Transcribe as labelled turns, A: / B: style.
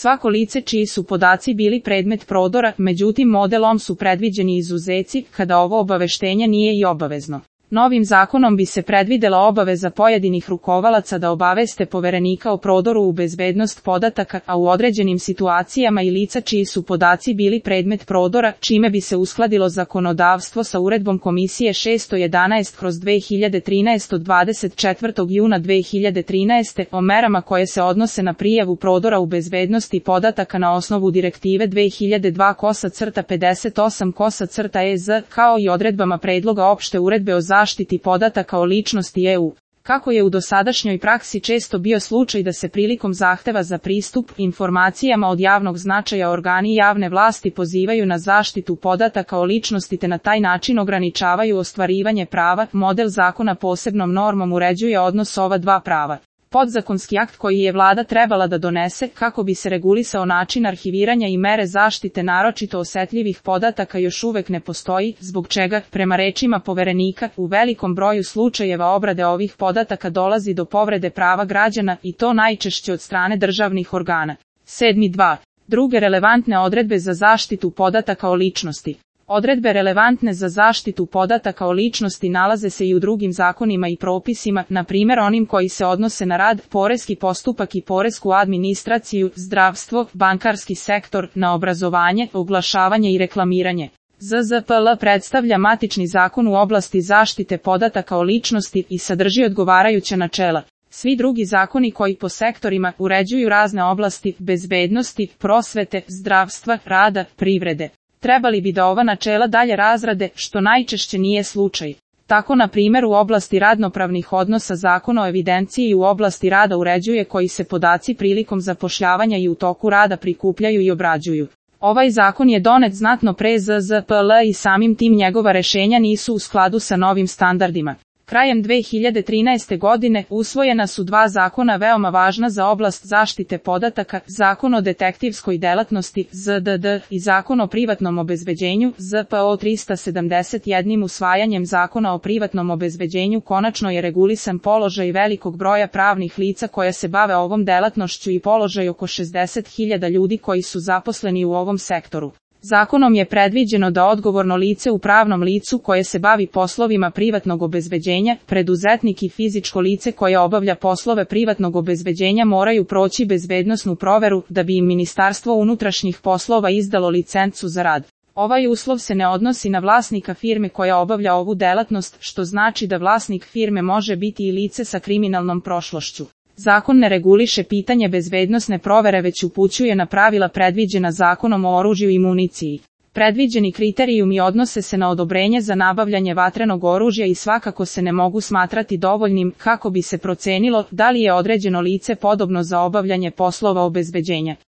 A: Svako lice čiji su podaci bili predmet prodora, međutim modelom su predviđeni izuzeci, kada ovo obaveštenje nije i obavezno. Novim zakonom bi se predvidela obaveza pojedinih rukovalaca da obaveste poverenika o prodoru u bezbednost podataka, a u određenim situacijama i lica čiji su podaci bili predmet prodora, čime bi se uskladilo zakonodavstvo sa uredbom Komisije 611/2013 od 24. juna 2013. o merama koje se odnose na prijavu prodora u bezbednosti podataka na osnovu Direktive 2002/58/EZ, kao i odredbama predloga opšte uredbe o zaštiti podataka o ličnosti EU. Kako je u dosadašnjoj praksi često bio slučaj da se prilikom zahteva za pristup informacijama od javnog značaja organi javne vlasti pozivaju na zaštitu podataka o ličnosti te na taj način ograničavaju ostvarivanje prava, model zakona posebnom normom uređuje odnos ova dva prava. Podzakonski akt koji je vlada trebala da donese kako bi se regulisao način arhiviranja i mere zaštite naročito osetljivih podataka još uvek ne postoji, zbog čega, prema rečima poverenika, u velikom broju slučajeva obrade ovih podataka dolazi do povrede prava građana i to najčešće od strane državnih organa. 7.2. Druge relevantne odredbe za zaštitu podataka o ličnosti. Odredbe relevantne za zaštitu podataka o ličnosti nalaze se i u drugim zakonima i propisima, na primjer onim koji se odnose na rad, poreski postupak i poresku administraciju, zdravstvo, bankarski sektor, na obrazovanje, oglašavanje i reklamiranje. ZZPL predstavlja matični zakon u oblasti zaštite podataka o ličnosti i sadrži odgovarajuća načela. Svi drugi zakoni koji po sektorima uređuju razne oblasti, bezbednosti, prosvete, zdravstva, rada, privrede, trebali bi da ova načela dalje razrade, što najčešće nije slučaj. Tako na primjer u oblasti radnopravnih odnosa Zakon o evidenciji u oblasti rada uređuje koji se podaci prilikom zapošljavanja i u toku rada prikupljaju i obrađuju. Ovaj zakon je donet znatno pre ZZPL i samim tim njegova rešenja nisu u skladu sa novim standardima. Krajem 2013. godine usvojena su dva zakona veoma važna za oblast zaštite podataka, Zakon o detektivskoj delatnosti ZDD i Zakon o privatnom obezbeđenju ZPO 371. Usvajanjem Zakona o privatnom obezbeđenju konačno je regulisan položaj velikog broja pravnih lica koja se bave ovom delatnošću i položaj oko 60.000 ljudi koji su zaposleni u ovom sektoru. Zakonom je predviđeno da odgovorno lice u pravnom licu koje se bavi poslovima privatnog obezbeđenja, preduzetnik i fizičko lice koje obavlja poslove privatnog obezbeđenja moraju proći bezbednosnu proveru da bi im Ministarstvo unutrašnjih poslova izdalo licencu za rad. Ovaj uslov se ne odnosi na vlasnika firme koja obavlja ovu delatnost, što znači da vlasnik firme može biti i lice sa kriminalnom prošlošću. Zakon ne reguliše pitanje bezbednosne provere već upućuje na pravila predviđena Zakonom o oružju i municiji. Predviđeni kriterijumi odnose se na odobrenje za nabavljanje vatrenog oružja i svakako se ne mogu smatrati dovoljnim kako bi se procenilo da li je određeno lice podobno za obavljanje poslova obezbeđenja.